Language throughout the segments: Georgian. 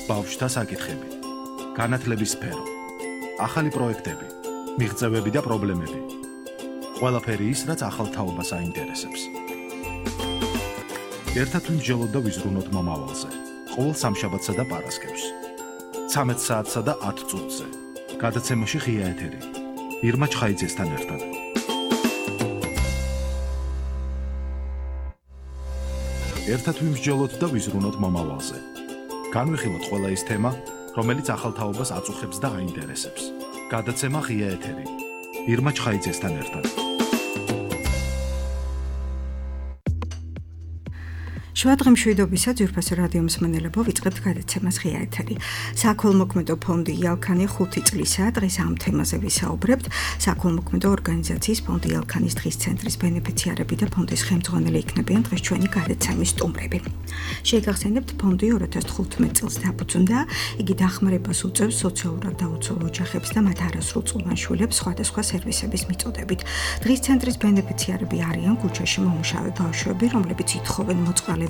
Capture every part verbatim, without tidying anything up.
ბავშვთა საკითხები, განათლების სფერო, ახალი პროექტები, მიღწევები და პრობლემები. ყველაფერი ის, რაც ახალ თაობას აინტერესებს. ერთად ვიმსჯელოთ და ვიზრუნოთ მომავალზე. ყოველ სამშაბათსა და პარასკევს. ცამეტ საათსა და ათ წუთზე. გადაცემაში ღია ეთერი. ირმა ჩხაიძესთან ერთად. ერთად ვიმსჯელოთ და ვიზრუნოთ მომავალზე. განვიხილოთ ყველა ის თემა, რომელიც ახალ თაობას აწუხებს და აინტერესებს. გადაცემა ღია ეთერი. ირმა ჩხაიძესთან ერთად. შუადღე მშვიდობისა ძვირფასო რადიო მსმენელებო, ვიწყებთ გადაცემას ღია ეთერი. საქველმოქმედო ფონდი იალქანი ხუთი წლისაა. დღეს ამ თემაზე ვისაუბრებთ. საქველმოქმედო ორგანიზაციის ფონდი იალქანის დღის ცენტრის ბენეფიციარები და ფონდის ხელმძღვანელი იქნებიან დღეს ჩვენი გადაცემის სტუმრები. შეგახსენებთ, ფონდი ორი ათას თხუთმეტ წელს დაფუძნდა. იგი დახმარებას უწევს სოციალურად დაუცველ ოჯახებს და მათ არასრულწლოვან შვილებს სხვადასხვა სერვისების მიწოდებით. დღის ცენტრის ბენეფიციარები არიან ქუჩაში მომუშავე ბავშვები, რომლებიც ითხოვენ მოწყალებას,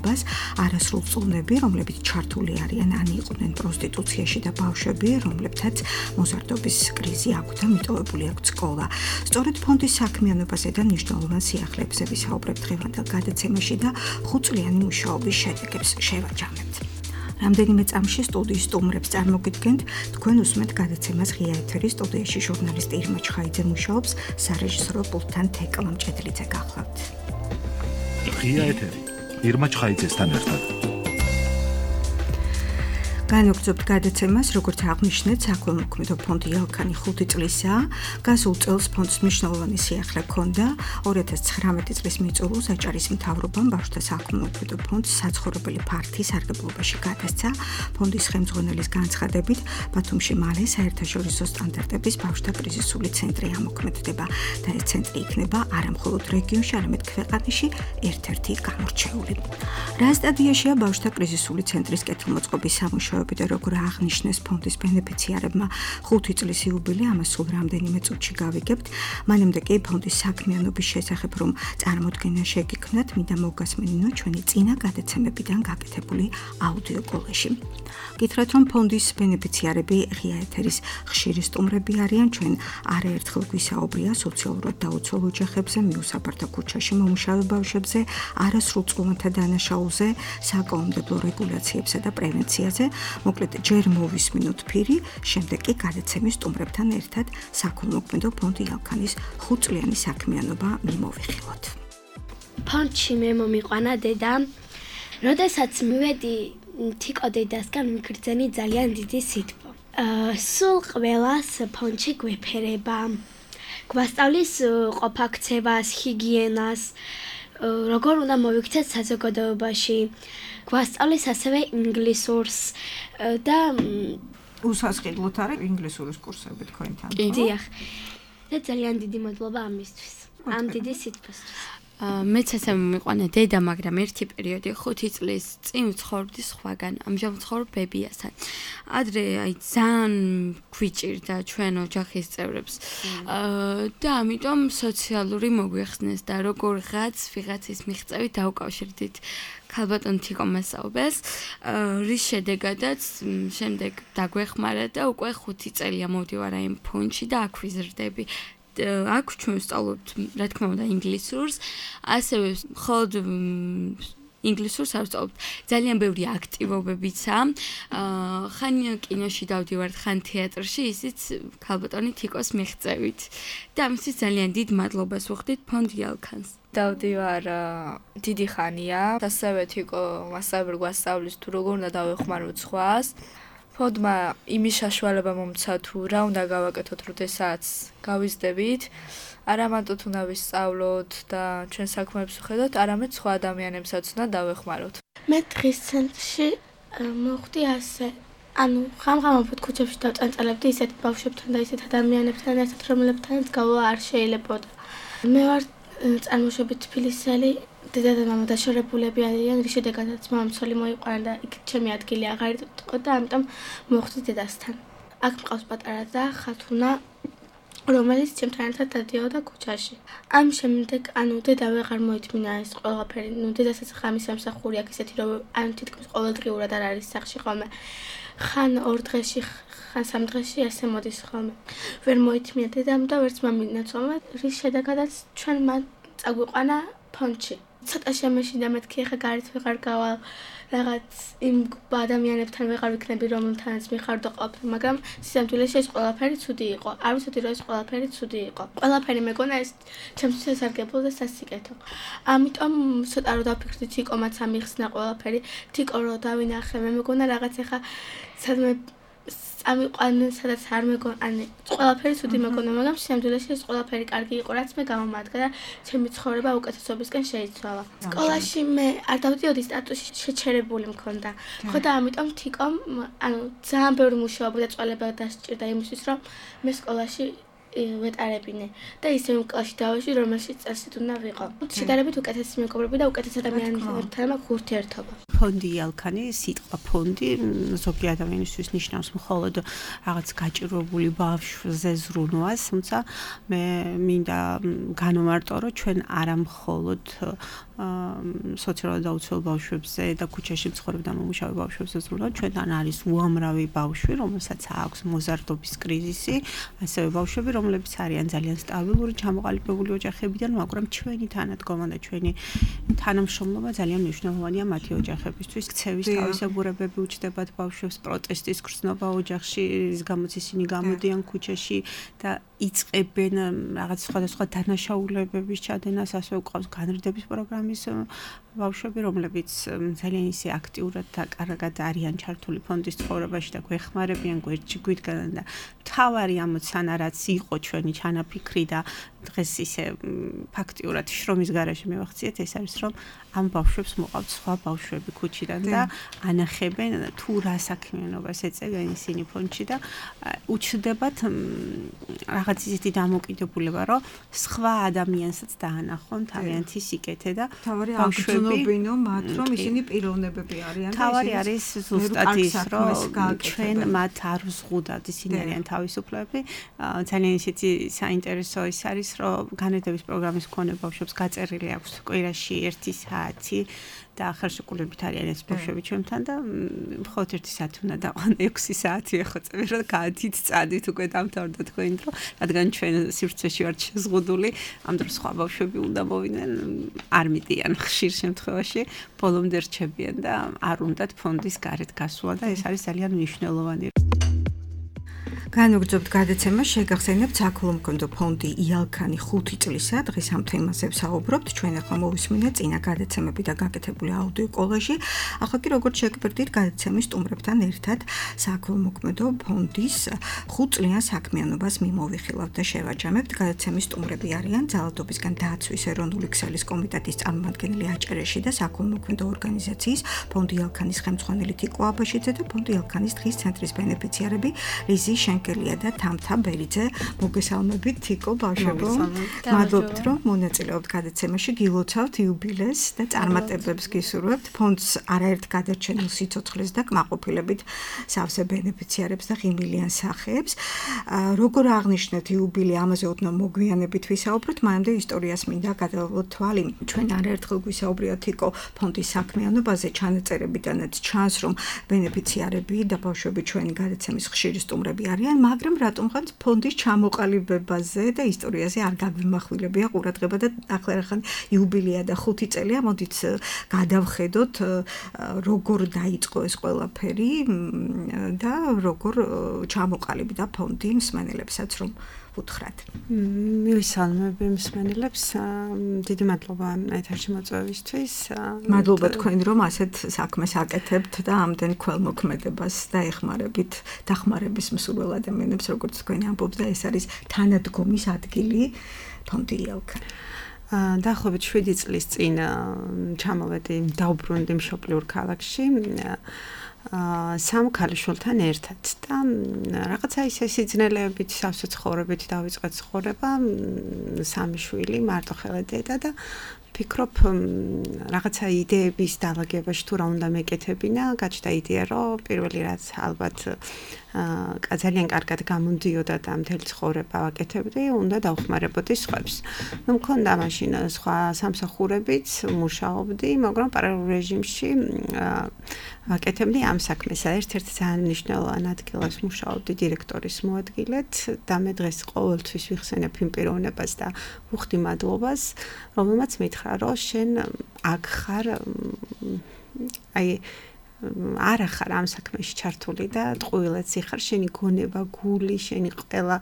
არასრულწლოვნები, რომლებიც ჩართული არიან ან იყვნენ პროსტიტუციაში და ბავშვები, რომლებთაც მოზარდობის კრიზი აქვთ და მიტოვებული აქვთ სკოლა. სწორედ ფონდის საქმიანობაზე და მნიშვნელოვან სიახლეებზე ვისაუბრებთ დღევანდელ გადაცემაში და ხუთწლიანი მუშაობის შედეგებს შევაჯამებთ. რამდენიმე წამში სტუდიის სტუმრებს წარმოგიდგენთ, თქვენ უსმენთ გადაცემას ღია ეთერის. სტუდიაში ჟურნალისტი ირმა ჩხაიძე მუშაობს, სარეჟისორო პულტთან თეკლა მჭედლიძე გახლავთ. ღია ეთერი. ირმა ჩხაიძესთან ერთად. განვაგრძობთ გადაცემას, როგორც აღნიშნეთ, საქველმოქმედო ფონდი იალქანი ხუთი წლისაა. გასულ წელს ფონდს მნიშვნელოვანი სიახლე ჰქონდა. ორი ათას ცხრამეტი წლის მიწურულს აჭარის მთავრობამ ბავშვთა საქველმოქმედო ფონდს საცხოვრებელი ფართი სარგებლობაში გადასცა. ფონდის ხელმძღვანელის განცხადებით, ბათუმში მალე საერთაშორისო სტანდარტების ბავშვთა კრიზისული ცენტრი ამოქმედდება და ეს ცენტრი იქნება არა მხოლოდ რეგიონში, არამედ ქვეყანაში ერთ-ერთი გამორჩეული. რა სტადიაშია ბავშვთა კრიზისული ცენტრის კეთილმოწყობის სამუშაო და როგორ აღნიშნეს ფონდის ბენეფიციარებმა ხუთი წლის იუბილე, ამას სულ რამდენიმე წუთში გავიგებთ. მანამდე კი ფონდის საქმიანობის შესახებ რომ წარმოდგენა შეგიქმნათ, მინდა მოგასმენინოთ ჩვენი წინა გადაცემებიდან გაკეთებული აუდიო კოლეჟი. გითხრათ, რომ ფონდის ბენეფიციარები ღია ეთერის ხშირი სტუმრები არიან. ჩვენ არაერთხელ გვისაუბრია სოციალურად დაუცველ ოჯახებზე, მიუსაბართა ქუჩაში მომუშავე ბავშვებზე, არასრულწლოვანთა დანაშაულზე, საკანონმდებლო რეგულაციებსა და პრევენციაზე. მოკლედ, ჯერ მოვისმინოთ ფირი, შემდეგ კი გადაცემის სტუმრებთან ერთად საქველმოქმედო ფონდი იალქანის ხუთწლიანი საქმიანობა მიმოვიხილოთ. ფონდში მე მომიყვანა დედა. როდესაც მივედი თიკო დედასგან, მიგრძენი ძალიან დიდი სითბო. სულ ყველას ფონდში გვეფერება. გვასწავლის ყოფაქცევას, ჰიგიენას, როგორ უნდა მოვიქცეთ საზოგადოებაში. გვასწავლის ასევე ინგლისურს და უსასყიდლოდ არის ინგლისურის კურსები თქვენთან. დიახ. და ძალიან დიდი მადლობა ამისთვის. ამ დიდი სიტყვისთვის. მეც ასე მომიყვანა დედა, მაგრამ ერთი პერიოდი ხუთი წლის წინ ვცხოვრობდი სხვაგან. ამჟამად ვცხოვრობ ბებიასთან. ადრე აი ძალიან გვიჭირდა ჩვენ ოჯახის წევრებს. და ამიტომ სოციალური მოგვიხსნეს და როგორღაც ვიღაცის მიღწევით დავუკავშირდით ქალბატონ თიკო მასაუბეს, რის შედეგადაც შემდეგ დაგვეხმარა და უკვე ხუთი წელია მოვდივარ აი ფონდში და აქ ვიზრდები. აქ ჩვენ ვსწავლობთ, რა თქმა უნდა, ინგლისურს, ასევე მხოლოდ ინგლისურს არ ვსწავლობთ. ძალიან ბევრი აქტივობებიცაა. ხან კინოში დავდივართ, ხან თეატრში, ისიც ქალბატონი თიკოს მიღწევით. და ამისთვის ძალიან დიდ მადლობას ვუხდით ფონდ იალქანს. დავდივარ დიდი ხანია, ასევე თიკო მასწავლებელი გვასწავლის თუ როგორ უნდა დავეხმაროთ სხვას. ფონდმა იმის საშუალება მომცა თუ რა უნდა გავაკეთოთ, როდესაც გავიზრდებით. არა მარტო უნდა ვისწავლოთ და ჩვენ საქმეებს ვხედოთ, არამედ სხვა ადამიანებსაც უნდა დავეხმაროთ. მე დღის ცენტრში მოხდი ასე, ანუ ხამ-ხამობით ქუჩებში დავწანწალებდი ისეთ ბავშვებთან და ისეთ ადამიანებთან ერთად, რომლებთანაც გავლა არ შეიძლებოდა. მე ვარ წარმოშობით თბილისელი, დედა და მამა დაშორებულები არიან, რის შედეგადაც მამამცოლი მოიყვანა და იქ ჩემი ადგილი აღარ იყო და ამიტომ მოხვდი დედასთან. აქ მყავს პატარა და ხათუნა, რომელიც ჩემთან ერთად დადიოდა ქუჩაში. ამ შემდეგ ანუ დედა ვეღარ მოითმინა ეს ყველაფერი. ნუ დედასაც ხამის სამსახური აქვს ისეთი რომ ანუ თითქმის ყოველდღიურად არ არის სახში ხოლმე. ხან ორ დღეში ხან სამ დღეში ასე მოდის ხოლმე. ვერ მოითმინა დედამ და ვერც მამიდანაც ხოლმე. რის შედეგადაც ჩვენ მან წაგვიყვანა ფონდში. ცოტა შემეშინდა მეთქი ხა გარეთ ვეღარ გავალ რაღაც იმ ადამიანებთან ვეღარ ვიქნები რომელთანაც მიხარდო ყოფილი, მაგრამ სიამთვილეში ეს ყველაფერი ცუდი იყო. არ ვიცოდი რომ ეს ყველაფერი ცუდი იყო. ყველაფერი მეგონა ეს ჩემთვის სასარგებლო და სასიკეთო. ამიტომ ცოტა რომ დაფიქრდი თიკომაც ამიხსნა ყველაფერი, თიკო რომ დავინახე, მე მეგონა რაღაც ეხა სადმე ამიყვანენ სადაც არ მეგონა, ანუ ყველაფერი ცუდი მეგონა, მაგრამ სიამთვილეში ეს ყველაფერი კარგი იყო, რაც მე გამომადგა და ჩემი ცხოვრება უკეთესობისკენ შეიცვალა. სკოლაში მე არ დავდიოდი სტატუსში შეჩერებული მქონდა. ხო და ამიტომ თიკომ, ანუ ძალიან ბევრი მუშაობა და წვალება დასჭირდა იმისთვის, რომ მე სკოლაში ვეტარებინე და ისე იმ კლასში დავეში, რომელშიც წესით უნდა ვიყო. შედარებით უკეთესი მეგობრები და უკეთეს ადამიანებთან მაქვს ურთიერთობა. ფონდი ალქანი, სიტყვა ფონდი ზოგი ადამიანისთვის ნიშნავს მხოლოდ რაღაც გაჭირვებული ბავშვზე ზრუნვას, თუმცა მე მინდა განვმარტო, რომ ჩვენ არა მხოლოდ სოციალურად დაუცველ ბავშვებზე და ქუჩაში მცხოვრებ და მომუშავე ბავშვებზე ზრუნავთ, ჩვენთან არის უამრავი ბავშვი, რომელსაც აქვს მოზარდობის კრიზისი, ასევე ბავშვები, რომლებიც არიან ძალიან სტაბილური, ჩამოყალიბებული ოჯახებიდან, მაგრამ ჩვენი თანადგომა და ჩვენი თანამშრომლობა ძალიან მნიშვნელოვანია მათი ოჯახებისთვის. ქცევის თავისებურებები უჩნდებათ ბავშვებს, პროტესტის გრძნობა ოჯახში, რის გამოც ისინი გამოდიან ქუჩაში და იწყებენ რაღაც სხვადასხვა დანაშაულებების ჩადენას, ასევე გვყავს განრიდების პროგრამის ბავშვები, რომლებიც ძალიან ისე აქტიურად და კარგად არიან ჩართული ფონდის ცხოვრებაში და გვეხმარებიან, გვერდში გვიდგანან და მთავარი ამოცანა რაც იყო ჩვენი ჩანაფიქრი და დღეს ისე ფაქტიურად შრომის გარეშე მივახციეთ, ეს არის რომ ამ ბავშვებს მოყავთ სხვა ბავშვები ქუჩიდან და ანახებენ თუ რა საქმიანობას ეწევიან ისინი ფონდში და უჩნდებათ რაღაც ისეთი დამოკიდებულება, რომ სხვა ადამიანსაც დაანახონ თავიანთი სიკეთე და ბავშვებინო მათ რომ ისინი პიროვნებები არიან და თავარი არის ზუსტად ის რომ ჩვენ მათ არ ვზღუდავთ, ისინი არიან თავისუფლები. ძალიან ისეთი საინტერესო ის არის რომ განათლების პროგრამის მქონე ბავშვებს გაწერილი აქვს კვირაში ერთი საათი და ხელშეკრულებით არიან ეს ბავშვები ჩვენთან და მხოლოდ ერთი საათი უნდა დაყვან ექვსი საათი ეხვეწები რომ გაათით წადით უკვე დამთავრდა თქვენი დრო, რადგან ჩვენ სივრცეში ვართ შეზღუდული, ამ დროს სხვა ბავშვები უნდა მოვიდნენ, არ მიდიან ხშირ შემთხვევაში, ბოლომდე რჩებიან და არ უნდათ ფონდის გარეთ გასვლა და ეს არის ძალიან მნიშვნელოვანი. განვგრძობთ გადაცემა, შეგახსენებთ საქველმოქმედო ფონდი იალქანი ხუთი წლისა, დღეს ამ თემაზე ვსაუბრობთ. ჩვენ ახლა მოვისმინეთ წინა გადაცემები და გაკეთებული აუდიო კოლაჟი. ახლა კი როგორც შეგბერდით გადაცემის სტუმრებთან ერთად საქველმოქმედო ფონდის ხუთწლიან საქმიანობას მიმოვიხილავთ და შევაჯამებთ. გადაცემის სტუმრები არიან ძალადობისგან დაცვის ეროვნული ქსელის კომიტეტის წარმომადგენელი აჭარეში და საქველმოქმედო ორგანიზაციის ფონდი იალქანის ხელმძღვანელი თიკო აბაშიძე და ფონდი იალქანის დღის ცენტრის ბენეფიციარები რიზი შენკელია და თამთა ბერიძე. მოგესალმებით თიკო ბავშვებო. მადლობთ რომ მონაწილეობთ გადაცემაში, გილოცავთ იუბილეს და წარმატებებს გისურვებთ. ფონდს არაერთ გადარჩენილ სიცოცხლეს და კმაყოფილებით სავსე ბენეფიციარებს და ღიმილიან სახეებს. როგორ აღნიშნეთ იუბილე, ამაზე ოდნავ მოგვიანებით ვისაუბროთ, მანამდე ისტორიას მინდა გადავავლოთ თვალი. ჩვენ არაერთხელ გვისაუბრია თიკო ფონდის საქმიანობაზე, ჩანაწერებიდანაც ჩანს რომ ბენეფიციარები და ბავშვები ჩვენი გადაცემის ხშირი სტუმრები არიან, მაგრამ რატომღაც ფონდის ჩამოყალიბებაზე და ისტორიაზე არ გაგვიმახვილებია ყურადღება და ახლა რახან იუბილეა და ხუთი წელია, მოდით გადავხედოთ როგორ დაიწყო ეს ყველაფერი და როგორ ჩამოყალიბდა ფონდი მსმენელებსაც რომ უთხრათ. მივისალმები მსმენელებს, დიდი მადლობა ეთერში მოწვევისთვის. მადლობა თქვენ რომ ასეთ საქმეს აკეთებთ და ამდენ ქველმოქმედებას დაეხმარებით დახმარების მსურველ ადამიანებს, როგორც თქვენ ამბობთ და ეს არის თანადგომის ადგილი ფონდი იალქანი. დაახლოებით შვიდი წლის წინ ჩამოვედი დაუბრუნდი მშობლიურ ქალაქში სამ ქალიშვილთან ერთად და რაღაცა ისე სიძნელეებით სავსე ცხოვრებით დავიწყეთ ცხოვრება, სამი შვილი, მარტო ხელად დედა და ვფიქრობ რაღაცა იდეების დაალაგებაში თუ რა უნდა მეკეთებინა, გაჩნდა იდეა, რომ პირველი რაც ალბათ ძალიან კარგად გამოდიოდა და მთელი ცხოვრება ვაკეთებდი, უნდა დავხმარებოდი სხვებს. ნუ მქონდა მაშინ სხვა სამსახურებიც, მუშაობდი, მაგრამ პარალელურ რეჟიმში ვაკეთებდი ამ საქმეს. ერთ-ერთ ძალიან მნიშვნელოვან ადგილას მუშაობდი დირექტორის მოადგილედ და მე დღეს ყოველთვის ვიხსენებ იმ პიროვნებას და ვუხდი მადლობას, რომელმაც მითხრა, რომ შენ აქ ხარ აი არა ხარ ამ საქმეში ჩართული და ტყუილად სიხარ, შენი გონება, გული, შენი ყველა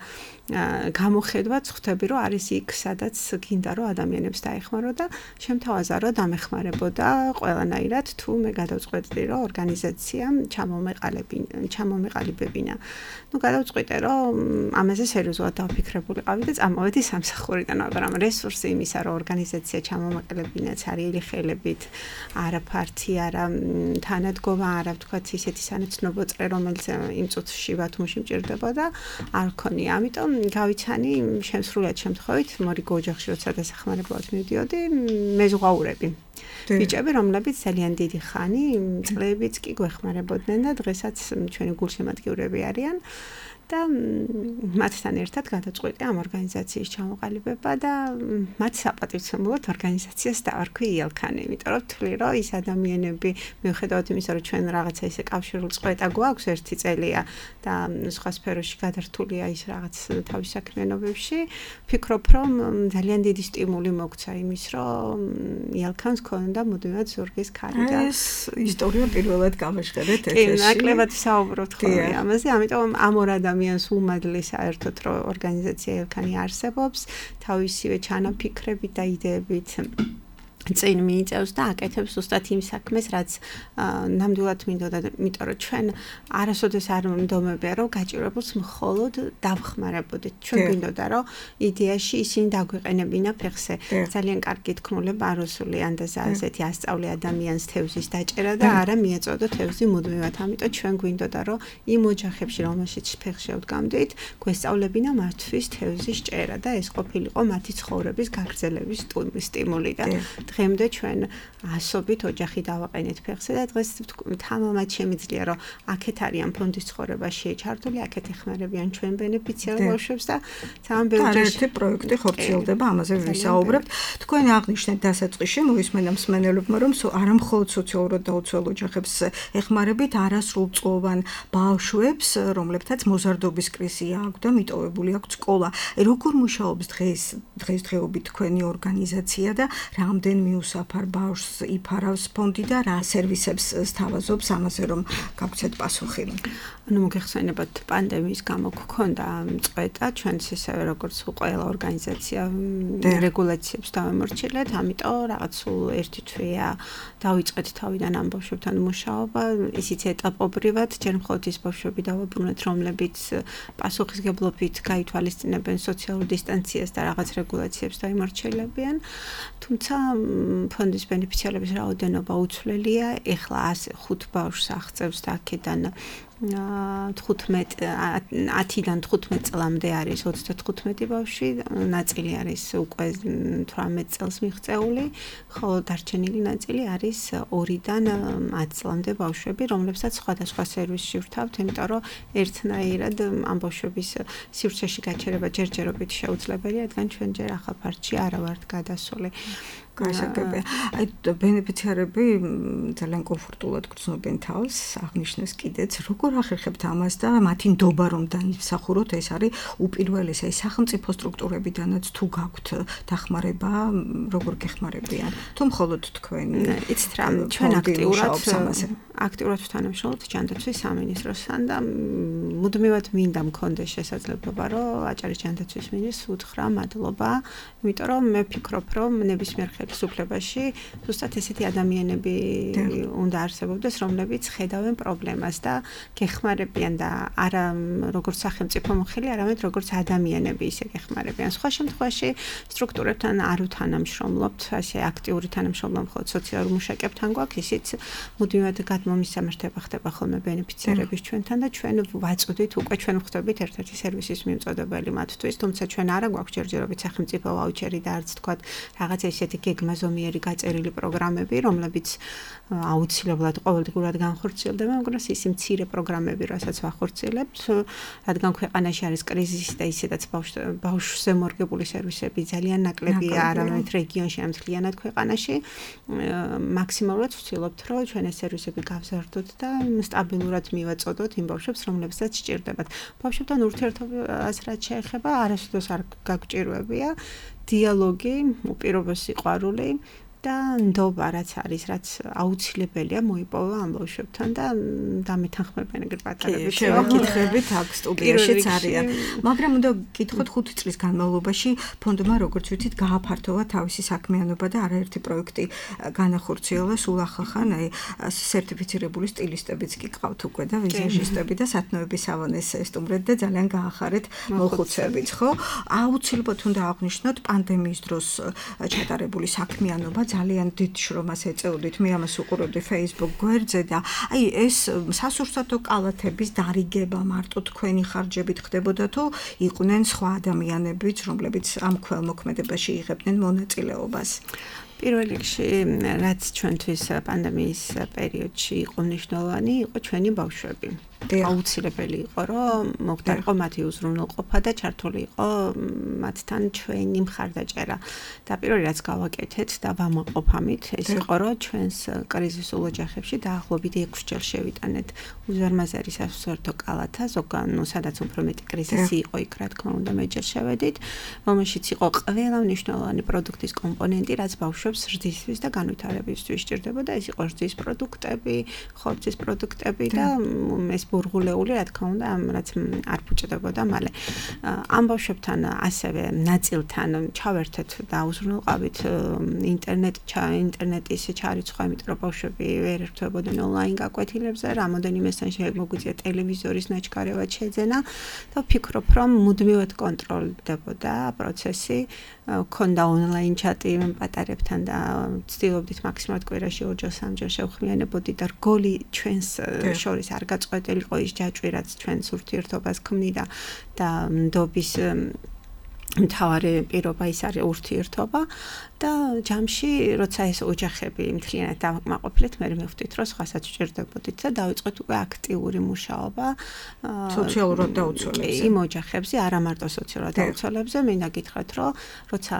გამოხედვაც ხვდები, რომ არის იქ, სადაც გინდა, რომ ადამიანებს დაეხმარო და შემთავაზა, რომ დამეხმარებოდა ყველანაირად, თუ მე გადავწყვეტდი, რომ ორგანიზაცია ჩამომეყალიბებინა. ნუ გადავწყვიტე, რომ ამაზე სერიოზულად დავფიქრებულიყავი და წამოვედი სამსახურიდან, მაგრამ რესურსი იმისა, რომ ორგანიზაცია ჩამომეყალიბინაც არის ხელებით, არა ფართი, არა თანადგომა, არა ვთქვათ ისეთი სანაცნობო წრე, რომელიც იმ წუთში ბათუმში მჭირდებოდა, არ ქონია. ამიტომ გავიცანი შემსრულიად შემთხვევით მორიგო ოჯახში როცა დასახმარებლად მივდიოდი, მეზღვაურები. ბიჭები, რომლებიც ძალიან დიდი ხანი, წლებიც კი გვეხმარებოდნენ და დღესაც ჩვენი გულშემატკივრები არიან. და მათთან ერთად გადაწყვეტე ამ ორგანიზაციის ჩამოყალიბება და მათ საპატივცემულოდ ორგანიზაციას დავარქვი იელქანი, იმიტომ რომ ვთვლი, რომ ის ადამიანები, მიუხედავად იმისა, რომ ჩვენ რაღაცა ისე კავშირულ წყვეტა გვაქვს ერთი წელია და სხვა სფეროში გადართულია ის რაღაც თავის საქმიანობებში, ვფიქრობ, რომ ძალიან დიდი სტიმული მოგცა იმის, რომ იელქანს ქონდა მუდმივად ზურგის ქარი და ეს ისტორია პირველად გამეშღერეთ ეთერში. კი, ნაკლებად საუბრობთ ხოლმე ამაზე, ამიტომ ამ ორ ადამიანს უმადლი საერთოდ რომ ორგანიზაცია იელქანი არსებობს, თავისივე ჩანაფიქრებით და იდეებით წინ მიიწევს და აკეთებს ზუსტად იმ საქმეს, რაც ნამდვილად მინდოდა, იმიტომ რომ ჩვენ არასოდეს არ მდომებია, რომ გაჭირებულს მხოლოდ დავხმარებოდეთ. ჩვენ გვინდოდა, რომ იდეაში ისინი დაგვეყენებინა ფეხზე. ძალიან კარგი თქმულება რუსული ანდაზა ასეთი ასწავლე ადამიანს თევზის დაჭერა და არა მიეწოდო თევზი მუდმივად. ამიტომ ჩვენ გვინდოდა, რომ იმ ოჯახებში, რომელშიც ფეხში ვდგამდით, გვესწავლებინა მათთვის თევზის ჭერა და ეს ყოფილიყო მათი ცხოვრების გაგრძელების სტიმული და დღემდე ჩვენ ასობით ოჯახი დავაყენეთ ფეხზე და დღეს თამამად შემიძლია რომ აქეთ არიან ფონდის ცხოვრებაში ჩართული, აქეთ ეხმარებიან ჩვენ ბენეფიციარ ბავშვებს და ძალიან ბევრი ერთი პროექტი ხორციელდება, ამაზე ვისაუბრებთ. თქვენ აღნიშნეთ დასაწყისში მოისმენა მსმენელებმა, რომ არა მხოლოდ სოციალურად დაუცველ ოჯახებს ეხმარებით, არასრულწლოვან ბავშვებს, რომლებთაც მოზარდობის კრიზისი აქვს და მიტოვებული აქვს სკოლა. როგორ მუშაობს დღეს დღესდღეობით თქვენი ორგანიზაცია და რამდენ მიუსაფარ ბავშვს იფარავს ფონდი და რა სერვისებს სთავაზობს ამაზე რომ გავცეთ პასუხი. ანუ მოგეხსენებათ პანდემიის გამო გქონდა წყვეტა ჩვენც ისევე როგორც ყველა ორგანიზაცია რეგულაციებს დავემორჩილეთ, ამიტომ რაღაც სულ ერთი თვეა დავიწყეთ თავიდან ამ ბავშვებთან მუშაობა, ისიც ეტაპობრივად, ჯერ მხოლოდ ის ბავშვები დავაბრუნეთ, რომლებიც პასუხისგებლობით გაითვალისწინებენ სოციალურ დისტანციას და რაღაც რეგულაციებს დაიმორჩილებიან, თუმცა ფონდის ბენეფიციარების რაოდენობა უცვლელია, ეხლა ხუთ ბავშვს აღწევს და აქედან ათიდან თხუთმეტ წლამდე არის ოცდათხუთმეტი ბავშვი, ნაწილი არის უკვე თვრამეტ წელს მიღწეული, ხოლო დარჩენილი ნაწილი არის ორიდან ათ წლამდე ბავშვები, რომლებსაც სხვადასხვა სერვისში ვრთავთ, იმიტომ რომ ერთნაირად ამ ბავშვების სივრცეში გაჩერება ჯერჯერობით შეუძლებელია, რადგან ჩვენ ჯერ ახალ ფართში არა ვართ გადასული. გასაგებია. აი ბენეფიციარები ძალიან კომფორტულად გრძნობენ თავს, აღნიშნეს კიდეც, როგორ ახერხებთ ამას და მათი ნდობა რომ დაიმსახუროთ, ეს არის უპირველესი, აი სახელმწიფო სტრუქტურებიდანაც თუ გაქვთ დახმარება, როგორ გეხმარებიან? თუ მხოლოდ თქვენ იცით რა, ჩვენ აქტიურად აქტიურად ვთანამშრომლობთ ჯანდაცვის სამინისტროსთან და მუდმივად მინდა მქონდეს შესაძლებლობა, რომ აჭარის ჯანდაცვის მინისტრს უთხრა მადლობა, იმიტომ რომ მე ვფიქრობ, რომ ნებისმიერ ხელისუფლებაში ზუსტად ესეთი ადამიანები უნდა არსებობდეს, რომლებიც ხედავენ პრობლემას და გეხმარებიან და არა როგორც სახელმწიფო მოხელი, არამედ როგორც ადამიანები ისე გეხმარებიან. სხვა შემთხვევაში სტრუქტურებთან არ ვთანამშრომლობთ, ასე აქტიური თანამშრომლობა მხოლოდ სოციალურ მუშაკებთან გვაქვს, ისიც მუდმივად მომისამართება ხდება ხოლმე ბენეფიციარების ჩვენთან და ჩვენ ვაწოდით უკვე ჩვენ ვხვდებით ერთ-ერთი სერვისის მიმწოდებელი მათთვის, თუმცა ჩვენ არა გვაქვს ჯერჯერობით სახელმწიფო ვაუჩერი და არც თქვათ რაღაცა ისეთი გეგმაზომიერი გაწერილი პროგრამები, რომლებიც აუცილებლად ყოველდღურად განხორციელდება, მაგრამ ის მცირე პროგრამები, რასაც ვახორციელებთ, რადგან ქვეყანაში არის კრიზისი და ისედაც ბავშვზე მორგებული სერვისები ძალიან ნაკლებია არამედ რეგიონში, ამ მთლიანად ქვეყანაში, მაქსიმალურად ვცდილობთ, რომ ჩვენ ეს სერვისები გავზარდოთ და სტაბილურად მივაწოდოთ იმ ბავშვებს, რომლებსაც სჭირდებათ. ბავშვებთან ურთიერთობას რაც შეეხება, არასდროს არ გაგჭირვებია დიალოგი, უპირობო სიყვარული და ნდობა რაც არის, რაც აუცილებელია მოიპოვა ამ ბავშვებთან და დამეთანხმებიან ეგრე პატარებით. შევაკითხებით აქ სტუდიაშიც არიან. მაგრამ უნდა გითხოთ ხუთი წლის განმავლობაში ფონდმა როგორც ვიცით გააფართოვა თავისი საქმიანობა და არაერთი პროექტი განახორციელა სულ ახალხან, აი სერტიფიცირებული სტილისტებიც კი ყავთ უკვე და ვიზაჟისტები და სათნოების სავანეს ესტუმრეთ და ძალიან გაახარეთ მოხუცებიც, ხო? აუცილებლად უნდა აღვნიშნოთ პანდემიის დროს ჩატარებული საქმიანობა ძალიან დიდ შრომას ეწეოდით, მე ამას უყურებდი Facebook გვერდზე და აი ეს სასურსათო კალათების დარიგება მარტო თქვენი ხარჯებით ხდებოდა თუ იყვნენ სხვა ადამიანებიც, რომლებიც ამ ქველმოქმედებაში იღებდნენ მონაწილეობას? პირველ რიგში, რაც ჩვენთვის პანდემიის პერიოდში იყო მნიშვნელოვანი, იყო ჩვენი ბავშვები. აუცილებელი იყო, რომ მოხდარიყო მათი უზრუნველყოფა და ჩართული იყო მათთან ჩვენი მხარდაჭერა. და პირველი რაც გავაკეთეთ და ვამაყობ ამით, ეს იყო, რომ ჩვენს კრიზისულ ოჯახებში დაახლოებით ექვსჯერ შევიტანეთ უზარმაზარი სასურსათო კალათა, ზოგან, ну, სადაც უფრო მეტი კრიზისი იყო, იქ რა თქმა უნდა მეჯერ შევედით, რომელშიც იყო ყველა მნიშვნელოვანი პროდუქტის კომპონენტი, რაც ბავშვებს ზრდისთვის და განვითარებისთვის სჭირდებოდა, ეს იყო ზრდის პროდუქტები, ხორცის პროდუქტები და ეს ბურღულეული, რა თქმა უნდა, ამ რაც არ ფუჭდებოდა მალე. ამ ბავშვებთან ასევე ნაწილთან ჩავერთეთ და უზრუნველყავით ინტერნეტ ინტერნეტის ჩარიცხვა, იმიტომ რომ ბავშვები ვერ ერთვებოდნენ ონლაინ გაკვეთილებზე, რამოდენიმესთან შეგვიძლია ტელევიზორის ნაჩქარევად შეძენა და ვფიქრობ, რომ მუდმივად კონტროლდებოდა პროცესი, ქონდა ონლაინ ჩატი პატარებთან და ვცდილობდით მაქსიმალურად კვირაში ორჯერ სამჯერ შევხმიანებოდით და რგოლი ჩვენს შორის არ გაწყვეტილიყო ის ჯაჭვი, რაც ჩვენს ურთიერთობას ქმნიდა და ნდობის მთავარი პირობა ის არის ურთიერთობა და ჯამში, როცა ეს ოჯახები მთლიანად დავაკმაყოფილეთ, მე მივხვდით, რომ სხვასაც ვჭირდებოდით და დავიწყეთ უკვე აქტიური მუშაობა სოციალურად დაუცველებზე. იმ ოჯახებზე, არა მარტო სოციალურად დაუცველებზე, მინდა გითხრათ, რომ როცა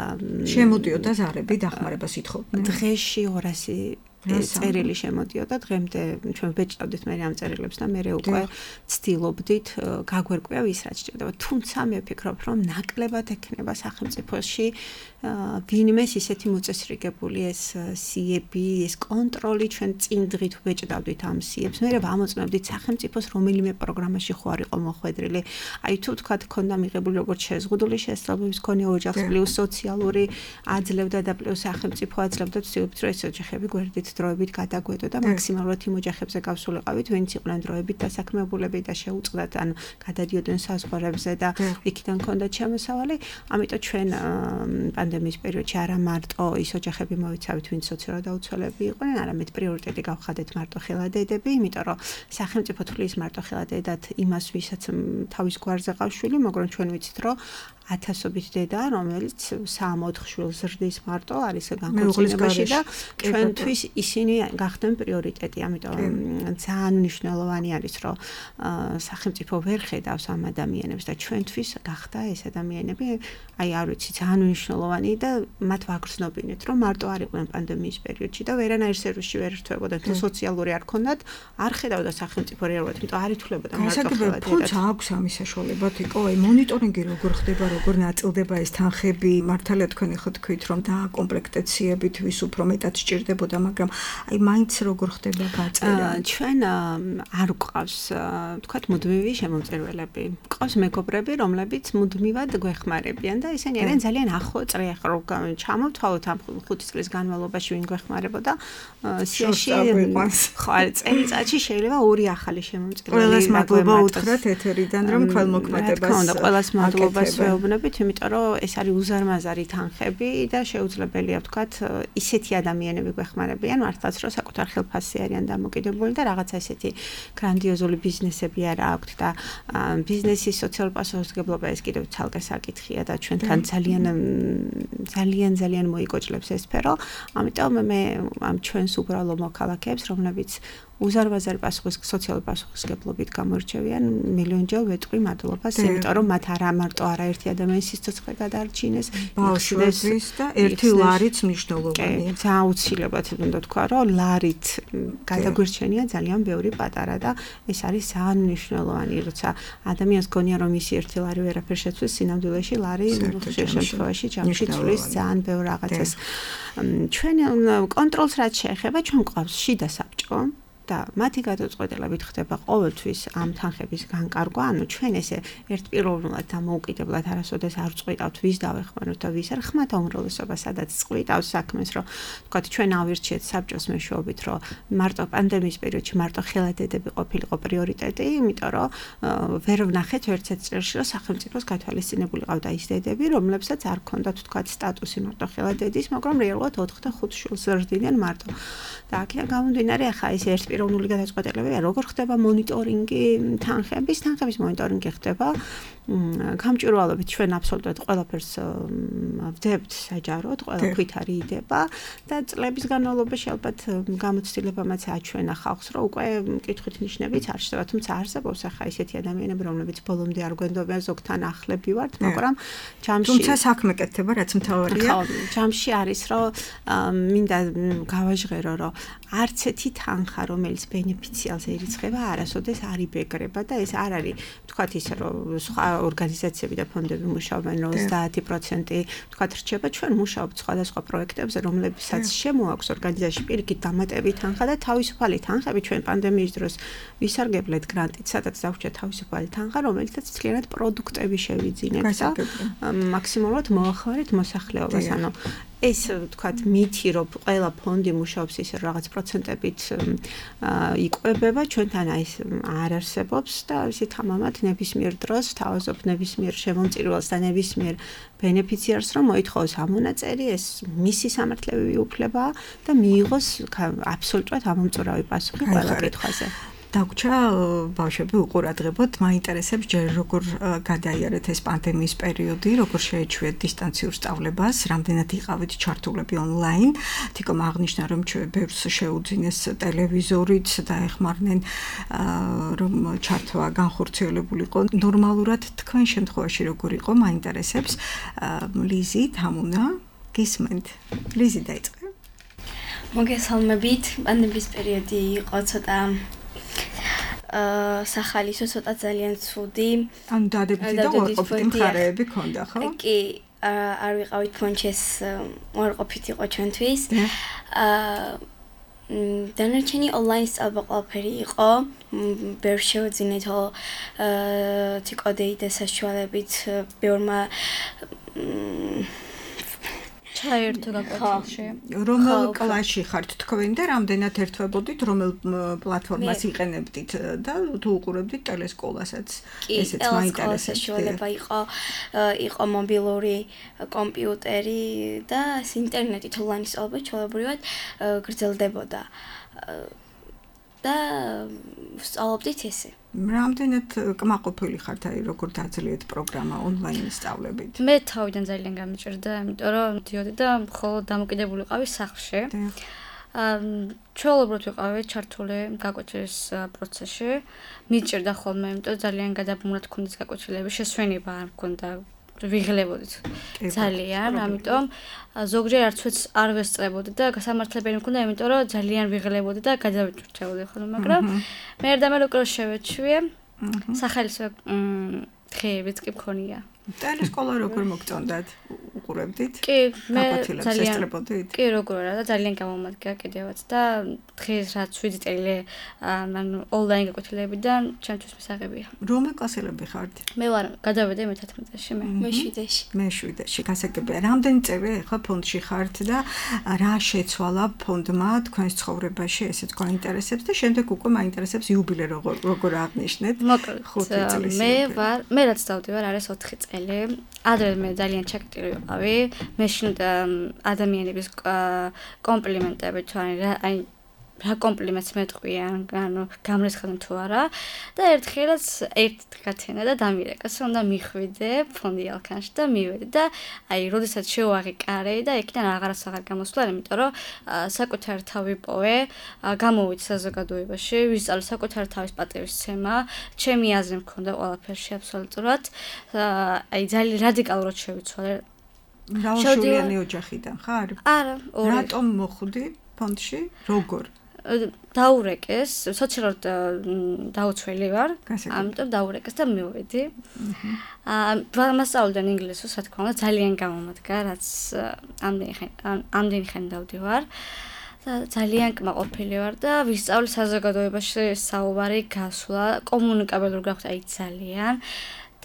შემოდიოდა ზარები დახმარებას ითხოვდნენ. დღეში ორასი წერილი შემოდიოდა, დღემდე ჩვენ ვეჭდავდით მე ამ წერილებს და მე უკვე ვცდილობდით გაგვერკვია ვის რაც სჭირდება. თუმცა მე ვფიქრობ, რომ ნაკლებად ექნება სახელმწიფოში ვინმეს ისეთი მოწესრიგებული ეს სიები, ეს კონტროლი, ჩვენ წინ დღით ვეჭდავდით ამ სიებს. მე ვამოწმებდით სახელმწიფოს რომელიმე პროგრამაში ხო არ იყო მოხვედრილი. აი თუ თქვა ქონდა მიღებული როგორც შეზღუდული შესაძლებლობის მქონე ოჯახს პლუს სოციალური აძლევდა და პლუს სახელმწიფო აძლევდა, ვცდილობთ რომ ეს ოჯახები გვერდით დროებით გადაგვედო და მაქსიმალურად იმ ოჯახებზე გავსულიყავით, ვინც იყვნენ დროებით დასაქმებულები და შეუწყდათ ან გადადიოდნენ საზღვარებზე და იქიდან ჰქონდათ შემოსავალი. ამიტომ ჩვენ პანდემიის პერიოდში არა მარტო ის ოჯახები მოვიცავით, ვინც სოციალურად დაუცველები იყვნენ, არამედ პრიორიტეტი გავხადეთ მარტო ხელადედები, იმიტომ რომ სახელმწიფო თulis მარტო ხელადედად იმას, ვისაც თავის გვარზე ყავს შვილი, მაგრამ ჩვენ ვიცით, რომ ათასობით დედა, რომელიც სამოთხ შვილს ზრდის მარტო არის განხორციელებაში და ჩვენთვის ისინი გახდნენ პრიორიტეტი. ამიტომ ძალიან მნიშვნელოვანი არის, რომ სახელმწიფო ვერ ხედავს ამ ადამიანებს და ჩვენთვის გახდა ეს ადამიანები, აი არ ვიცი, ძალიან მნიშვნელოვანი და მათ ვაგრძნობინეთ, რომ მარტო არ იყვნენ პანდემიის პერიოდში და ვერანაირ სერვისში ვერ ერთვებოდნენ, თუ სოციალური არ ქონდათ, არ ხედავდა სახელმწიფო რეალურად, იმიტომ არ ითვლებოდა მარტო ხელადედად. ფონდს აქვს ამის საშუალება, თიკო, აი მონიტორინგი როგორ ხდება, როგორ ნაწილდება ეს თანხები, მართალია თქვენი ხო თქვით, რომ დააკომპლექტაციებით ვის უფრო მეტად სჭირდებოდა, მაგრამ აი მაინც როგორ ხდება გაწერა? ჩვენ არ გვყავს, თქვათ, მუდმივი შემომწირველები. გვყავს მეგობრები, რომლებიც მუდმივად გვეხმარებიან და ისინი არიან ძალიან ახლო წრე, ხო, ჩამოვთვალოთ ამ ხუთი წლის განმავლობაში ვინ გვეხმარებოდა. სიაში ხო, წელიწადში შეიძლება ორი ახალი შემომწირველი. ყველას მადლობა უთხრათ ეთერიდან, რომ ქველმოქმედებას. რა თქმა უნდა, ყველას მადლობას ვეუბნები. დაუბრუნებით, იმიტომ რომ ეს არის უზარმაზარი თანხები და შეუძლებელია ვთქვათ, ისეთი ადამიანები გვეხმარებიან მართლაც, რომ საკუთარ ხელფასზე არიან დამოკიდებული და რაღაცა ესეთი გრანდიოზული ბიზნესები არ აქვთ და ბიზნესის სოციალურ პასუხისმგებლობა ეს კიდევ ცალკე საკითხია და ჩვენთან ძალიან ძალიან ძალიან მოიგოჭლებს ეს სფერო. ამიტომ მე ამ ჩვენს უბრალო მოქალაქეებს, რომლებიც უზარმაზარი პასუხის სოციალური პასუხისმგებლობით გამოირჩევიან, მილიონჯერ ვეტყვი მადლობას, იმიტომ რომ მათ არა მარტო არაერთი ადამიანის სიცოცხლე გადაარჩინეს, ბავშვების და ერთი ლარიც მნიშვნელოვანია. ძალიან აუცილებლად უნდა თქვა, რომ ლარით გადაგვირჩენია ძალიან ბევრი პატარა და ეს არის ძალიან მნიშვნელოვანი, როცა ადამიანს გონია რომ ისი ერთი ლარი ვერაფერ შეცვლის, სინამდვილეში ლარი ხშირ შემთხვევაში ჯამში ცვლის ძალიან ბევრ რაღაცას. ჩვენ კონტროლს რაც შეეხება, ჩვენ გვყავს შიდა საბჭო და მათი გადაწყვეტილებით ხდება ყოველთვის ამ თანხების განკარგვა, ანუ ჩვენ ესე ერთპიროვნულად და მოუკიდებლად არასოდეს არ წყვიტავთ ვის დავეხმაროთ და ვის არ ხმათა უმრავლესობა სადაც წყვიტავს საქმეს, რომ თქვათ ჩვენ ავირჩიეთ საბჭოს მეშვეობით, რომ მარტო პანდემიის პერიოდში მარტო ხელადედები ყოფილიყო პრიორიტეტი, იმიტომ რომ ვერ ვნახეთ ერთ-ერთ წელში, რომ სახელმწიფოს გათვალისწინებული ყავდა ის დედები, რომლებსაც არ ქონდათ თქვათ სტატუსი მარტო ხელადედის, მაგრამ რეალურად ოთხ და ხუთ შვილს ზრდიდნენ მარტო. და აქედან გამომდინარე, ახლა ეს ერთ პიროვნული გადაწყვეტილებაა, როგორ ხდება მონიტორინგი თანხების, თანხების მონიტორინგი ხდება გამჭვირვალობით ჩვენ აბსოლუტურად ყველაფერს ვდებთ საჯაროდ, ყველა ქვით არის იდება და წლების განმავლობაში ალბათ გამოცდილებამაც აჩვენა ხალხს, რომ უკვე კითხვით ნიშნებიც არ შევა, თუმცა არსებობს ახლა ისეთი ადამიანები, რომლებიც ბოლომდე არ გვენდობიან, ზოგთან ახლები ვართ, მაგრამ ჯამში თუმცა საქმე კეთდება, რაც მთავარია. ჯამში არის, რომ მინდა გავაჟღერო, რომ არც ერთი თანხა, რომელიც ბენეფიციალს ერიცხება, არასოდეს არ იბეგრება და ეს არ არის, თქვათ ისე, რომ სხვა ორგანიზაციები და ფონდები მუშაობენ, რომ ოცდაათი პროცენტი თქვათ რჩება, ჩვენ მუშაობთ სხვადასხვა პროექტებზე, რომლებსაც შემოაქვს ორგანიზაციაში პირიქით დამატებით თანხა და თავისუფალი თანხები ჩვენ პანდემიის დროს ვისარგებლეთ გრანტით, სადაც დაგვჭირდა თავისუფალი თანხა, რომელიცაც მთლიანად პროდუქტები შევიძინეთ და მაქსიმალურად მოახმარეთ მოსახლეობას, ანუ ეს თქვათ მითი, რომ ყველა ფონდი მუშაობს ისე რაღაც პროცენტებით იკვებება, ჩვენთან ეს არ არსებობს და ისეთ ამამად ნებისმიერ დროს თავაზობ ნებისმიერ შემომწირველს და ნებისმიერ ბენეფიციარს, რომ მოითხოვოს ამონაწერი, ეს მისი სამართლებრივი უფლებაა და მიიღოს აბსოლუტურად ამომწურავი პასუხი ყველა კითხვაზე. დაგვრჩა ბავშვები უყურადღებოდ, მაინტერესებს ჯერ როგორ გადაიარეთ ეს პანდემიის პერიოდი, როგორ შეეჩვიეთ დისტანციურ სწავლებას, რამდენად იყავით ჩართულები ონლაინ. თიკომ აღნიშნა, რომ ჩვენ ბევრს შეუძინეს ტელევიზორით და ეხმარნენ რომ ჩართვა განხორციელებულიყო. ნორმალურად თქვენ შემთხვევაში როგორ იყო, მაინტერესებს. ლიზი, თამუნა, გისმენთ. ლიზი დაიწყე. მოგესალმებით, პანდემიის პერიოდი იყო ცოტა აა სახალისო ცოტა ძალიან ცუდი. ანუ დადებითი და უარყოფითი მხარეები ქონდა, ხო? კი, არ ვიყავით ფონჩი, ეს უარყოფითი იყო ჩვენთვის. აა დანარჩენი ონლაინ სწავლა ყველაფერი იყო. ბევრ შევძინეთო აა თიკოდეიდე საშუალებით ბევრმა ჩაერთო გაკვეთილში. რომელ კლასში ხართ თქვენ და რამდენად ერთვებოდით, რომელ პლატფორმას იყენებდით და თუ უყურებდით ტელესკოლასაც? ესეც მაინტერესებს. საშუალება იყო, იყო მობილური კომპიუტერი და ინტერნეტით ონლაინ სწავლება ჩვეულებრივად გრძელდებოდა. და სწავლობდით ესე. რამდენად კმაყოფილი ხართ, აი როგორ დაძლიეთ პროგრამა ონლაინ სწავლებით? მე თავიდან ძალიან გამიჭირდა, იმიტომ რომ მივდიოდი და მხოლოდ დამოკიდებული ვიყავი სახლში. აა ჩვეულებრივად ვიყავი ჩართული გაკვეთილის პროცესში. მიჭირდა ხოლმე, იმიტომ ძალიან გადაბმულად გქონდეს გაკვეთილები, შესვენება არ მქონდა. ვიღლებოდით ძალიან, ამიტომ ზოგჯერ არცვეც არ ვესწრებოდი და გასამართლებელი მქონდა, იმიტომ რომ ძალიან ვიღლებოდი და გადავიჭრჩებოდი ხოლმე, მაგრამ მე ერთდამე რო შევეჩვიე, სახალისო დღეებიც კი მქონია. ტელესკოლა როგორ მოგწონდათ? უყურებდით? კი, მე ძალიან ესწრებოდით? კი, როგორ არა და ძალიან გამომადგა კიდევაც და დღეს რაც ვიძი წელი ანუ ონლაინ გაკვეთილებიდან ჩემთვის მისაღებია. რომელ კლასელები ხართ? მე ვარ გადავედი მეთერთმეტეში მე. მე შვიდეში. მე შვიდეში. გასაგებია. რამდენი წელი ახლა ფონდში ხართ და რა შეცვალა ფონდმა თქვენს ცხოვრებაში, ესეც გვაინტერესებს და შემდეგ უკვე მაინტერესებს იუბილე როგორ როგორ აღნიშნეთ? მოკლედ მე ვარ, მე რაც დავდივარ არის ოთხი წელი. ადრე მე ძალიან ჩაკეტილი ვიყავი. მე შინდა ადამიანების კომპლიმენტები თუ აი რა კომპლიმენტს მეტყვიან, ანუ გამრიცხდნენ თუ არა და ერთხელაც ერთ დღათენა და დამირეკეს, უნდა მიხვიდე ფონდი ალქანში და მივედი და აი, როდესაც შევაღიკარე და იქიდან აღარაც აღარ გამოსვლა, იმიტომ რომ საკუთარი თავი პოვე, გამოვიდე საზოგადოებაში, ვისწავლე საკუთარი თავის პატივისცემა, ჩემი აზრი მქონდა ყველაფერში აბსოლუტურად. აი, ძალიან რადიკალურად შევიცვალე. მრავალშვილიანი ოჯახიდან ხარ? არა, ორი. რატომ მოხვდი ფონდში? როგორ? დაურეკეს, სოციალურად დაუცველი ვარ, ამიტომ დაურეკეს და მივედი. აა მასწავლდნენ ინგლისურს, რა თქმა უნდა, ძალიან გამომადგა, რაც ამდენი ხანი ამდენი ხანი დავდივარ. და ძალიან კმაყოფილი ვარ და ვისწავლე საზოგადოებაში საუბარი, გასვლა, კომუნიკაბელური გახვდა აი ძალიან.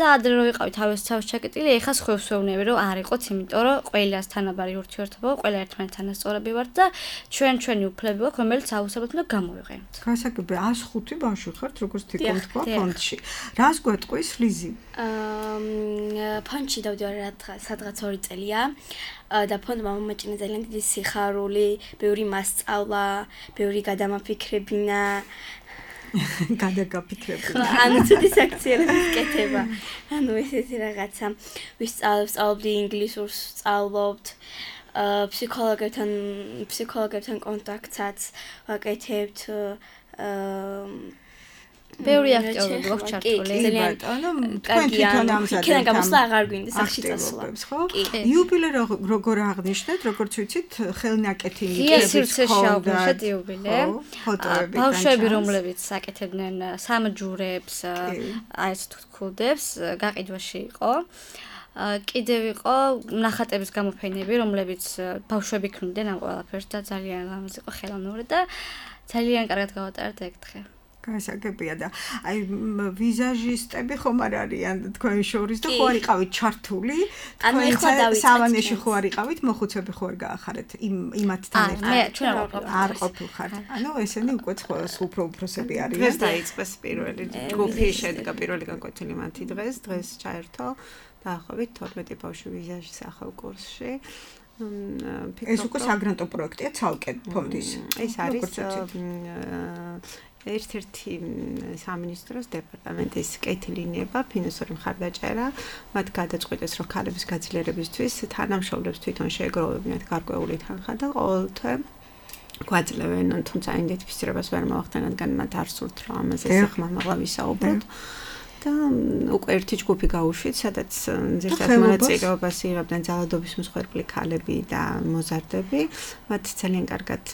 და ადრე რო ვიყავი თავის თავის ჩაკეტილი, ეხა სხვებს ვეუბნები რომ არ იყოთ, იმიტომ რომ ყველას თანაბარი ურთიერთობა, ყველა ერთმანეთთან ასწორები ვართ და ჩვენ ჩვენი უფლები გვაქვს, რომელიც აუცილებლად უნდა გამოვიყენოთ. გასაგებია, ას ხუთი ბავშვი ხართ, როგორც თვითონ თქვა ფონდში. რას გვეტყვის ლიზი? აა ფონდში დავდივარ სადღაც ორი წელია და ფონდმა მომეჭინა ძალიან დიდი სიხარული, ბევრი მასწავლა, ბევრი გადამაფიქრებინა. გადაგაფიქრებინა. ანუ ცუდი საქციელების კეთება. ანუ ესეთი რაღაცა. ვისწავლობდი ინგლისურს, სწავლობთ. აა ფსიქოლოგებთან ფსიქოლოგებთან კონტაქტსაც ვაკეთებთ. აა ბევრი აქტიურობა გვაქვს ჩართული. ძალიან ანუ თქვენ თვითონ ამზადებთ. იქიდან გამოსვლა აღარ გვინდა სახში წასვლა. ხო? იუბილე როგორ აღნიშნეთ, როგორც ვიცით, ხელნაკეთი ნიკების ხონდა. იუბილე. ფოტოები. ბავშვები, რომლებიც აკეთებდნენ სამჯურებს, აი ეს თქუდებს, გაყიდვაში იყო. კიდევ იყო ნახატების გამოფენები, რომლებიც ბავშვები ქმნიდნენ ამ ყველაფერს და ძალიან ლამაზ იყო ხელოვნური და ძალიან კარგად გავატარეთ ეგ დღე. გასაგებია და აი ვიზაჟისტები ხომ არ არიან თქვენ შორის და ხო არ იყავით ჩართული? თქვენ სავანეში ხო არ იყავით, მოხუცები ხო არ გაახარეთ იმ იმათთან ერთად? მე ჩვენ არ ყოფილხართ. ანუ ესენი უკვე უფრო უფროსები არიან. დღეს დაიწყეს პირველი ჯგუფი, შედგა პირველი განკვეთილი მათი დღეს, დღეს ჩაერთო დაახლოებით თორმეტი ბავშვი ვიზაჟის ახალ კურსში. ეს უკვე საგრანტო პროექტია ცალკე ფონდის. ეს არის ერთ-ერთი სამინისტროს დეპარტამენტის კეთილინიება, ფინანსური მხარდაჭერა, მათ გადაწყვეტეს, რომ ქალების გაძლიერებისთვის თანამშრომლებს თვითონ შეეგროვებინათ გარკვეული თანხა და ყოველთვე გვაძლევენ, თუმცა იდენტიფიცირებას ვერ მოახდენ, რადგან მათ არ სურთ, რომ ამაზე სახმამაღლა ვისაუბროთ. და უკვე ერთი ჯგუფი გაუშვით, სადაც ზედმეტ მონაწილეობას იღებდნენ ძალადობის მსხვერპლი ქალები და მოზარდები. მათ ძალიან კარგად